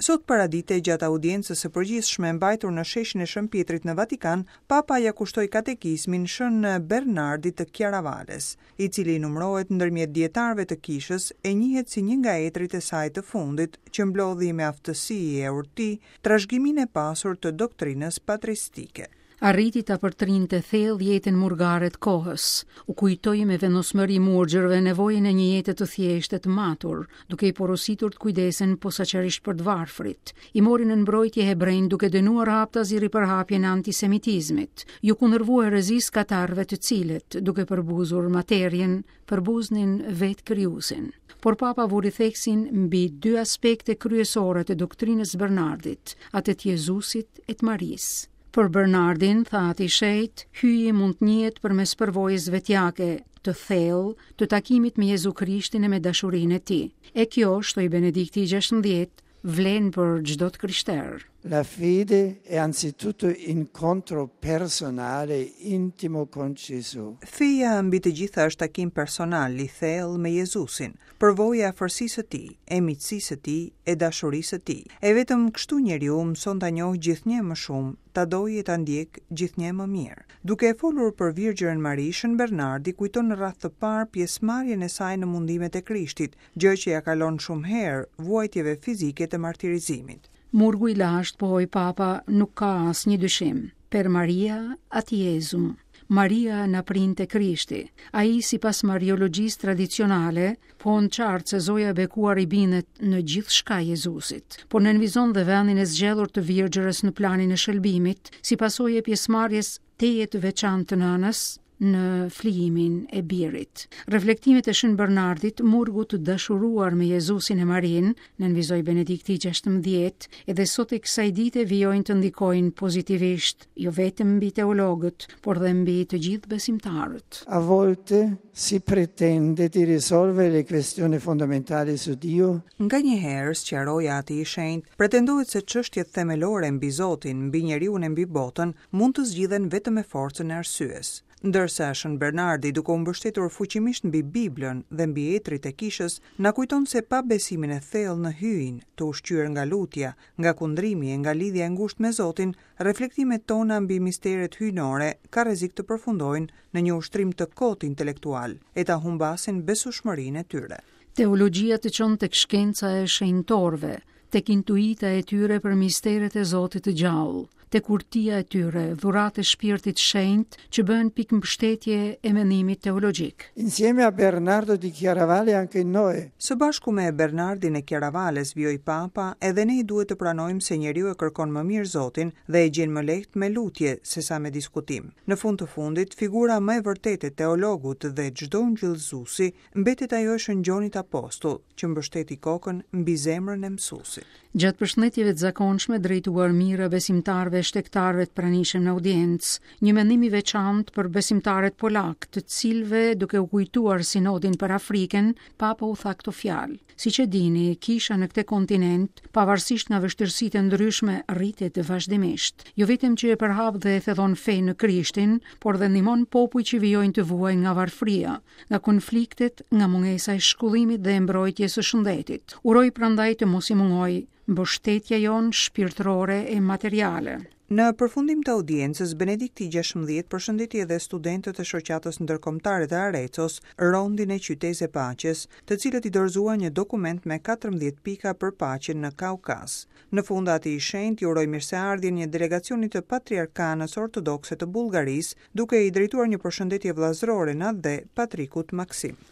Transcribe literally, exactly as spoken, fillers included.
Sot paradite, gjatë audiencës së përgjithshme mbajtur në sheshin e Shën Pietrit në Vatikan, Papa ja kushtoi katekizmin Shën Bernardit të Chiaravales, i cili numërohet ndërmjet dietarëve të kishës e njihet si një nga etrit e saj të fundit, që mblodhi me aftësi e urti trashëgiminë e pasur të doktrinës patristike. Arriti ta përtrinte thellë jetën murgare të kohës, u kujtoi me vendosmëri murgjërve nevojën e një jete të thjeshtë e të matur, duke i porositur të kujdesen posaçërisht për të varfrit. I mori në mbrojtje hebrejnë duke dënuar haptazi ripërhapjen e antisemitizmit. Ju kundërvu herezisë katarëve të cilët, duke përbuzur materien, përbuznin vetë krijuesin. Por Papa vuri theksin mbi dy aspekte kryesore të doktrinës Bernardit, atë të Jezusit e të Marisë. Për Bernardin, tha Ati i Shenjtë, hyji mund të njihet përmes përvojës vetjake, të thellë, të takimit me Jezu Krishtin e me dashurinë e tij. E kjo, shtoi Benedikti i gjashtëmbëdhjetë, vlen për çdo të krishterë. La fede è anzitutto incontro personale, intimo con Gesù. Feja mbi të gjitha është takim personal i thellë me Jezusin, përvoja e afërsisë së tij, e miqësisë së tij, e dashurisë së tij. E vetëm kështu njeriu mëson ta njohë gjithnjë më shumë, ta dojë e ta ndjek gjithnjë më mirë. Duke e folur për Virgjërën Mari, Shën Bernardi kujton në radhë të parë pjesëmarrjen e saj në mundimet e Krishtit, gjë që ja kalon shumë herë vuajtjeve fizike të martirizimit. Murgu i lashtë, pohoi Papa, nuk ka asnjë dyshim. Per Maria ad Jesum. Maria na printe Krishti. Ai, sipas mariologjisë tradicionale, pohon qartë se Zoja e bekuar i bindet në gjithçka Jezusit, por nënvizon dhe vendin e zgjedhur të Virgjërës në planin e shëlbimit, si pasojë e pjesëmarrjes tejet të veçantë të nënës në flijimin e birit. Reflektimet e Shën Bernardit, murgut të dashuruar me Jezusin e Marinë, nënvizoi Benedikti i gjashtëmbëdhjetë, edhe sot e kësaj dite vijojnë të ndikojnë pozitivisht, jo vetëm mbi teologët, por dhe mbi të gjithë besimtarët. A volte si pretende di risolvere le questioni fondamentali su Dio. Nga një herë, sqaroi Ati i Shenjtë, pretendohet se çështjet themelore mbi Zotin, mbi njeriun e mbi botën mund të zgjidhen vetëm me forcën e arsyes. Ndërsa Shën Bernardi, duke u mbështetur fuqimisht mbi Biblën dhe mbi etrit e kishës, na kujton se pa besimin e thellë në hyjin, të ushqyer nga lutja, nga kundrimi e nga lidhja e ngushtë me Zotin, reflektimet tona mbi misteret hyjnore ka rrezik të përfundojnë në një ushtrim të kot intelektual e ta humbasin besueshmërinë e tyre. Teologjia të çon tek shkenca e shenjtorëve, tek intuita e tyre për misteret e Zotit të gjallë, tek urtia e tyre, dhuratë e shpirtit shenjt që bëhen pikë mbështetje e mendimit teologjik. Insieme a Bernardo di Chiaravalle anche noi. Së bashku me Bernardin e Chiaravales, vijoi Papa, edhe ne duhet të pranojmë se njeriu e kërkon më mirë Zotin dhe e gjen më lehtë me lutje se sa me diskutim. Në fund të fundit, figura më e vërtetë e teologut dhe çdo ungjillëzuesi mbetet ajo e Shën Gjonit Apostull, që mbështeti kokën mbi zemrën e mësuesit. Gjatë përshëndetjeve të zakonshme drejtuar mijëra besimtarëve e shtegtarëve të pranishëm në audiencë, një mendim i veçantë për besimtarët polak, të cilëve duke u kujtuar sinodin për Afrikën, Papa u tha këto fjalë. Siç e dini, kisha në këtë kontinent, pavarësisht nga vështirësitë e ndryshme, rritet vazhdimisht. Jo vetëm që e përhap dhe e thellon fenë në Krishtin, por dhe ndihmon popujt që vijojnë të vuajnë nga varfëria, nga konfliktet, nga mungesa e shkollimit dhe e mbrojtjes së shëndetit. Uroj prandaj të mos i mungoj mbështetja jonë shpirtërore e materiale. Në përfundim të audiencës, Benedikti i gjashtëmbëdhjetë përshëndeti edhe studentët e shoqatës ndërkombëtare të Arecos, Rondin e Qytezë e Paqes, të cilët i dorëzuan një dokument me katërmbëdhjetë pika për paqen në Kaukaz. Në fund, Ati i Shenjtë i uroi mirëseardhjen një delegacioni të Patriarkanës Ortodokse të Bullgarisë, duke i drejtuar një përshëndetje vëllazërore në atdhe Patrikut Maksim.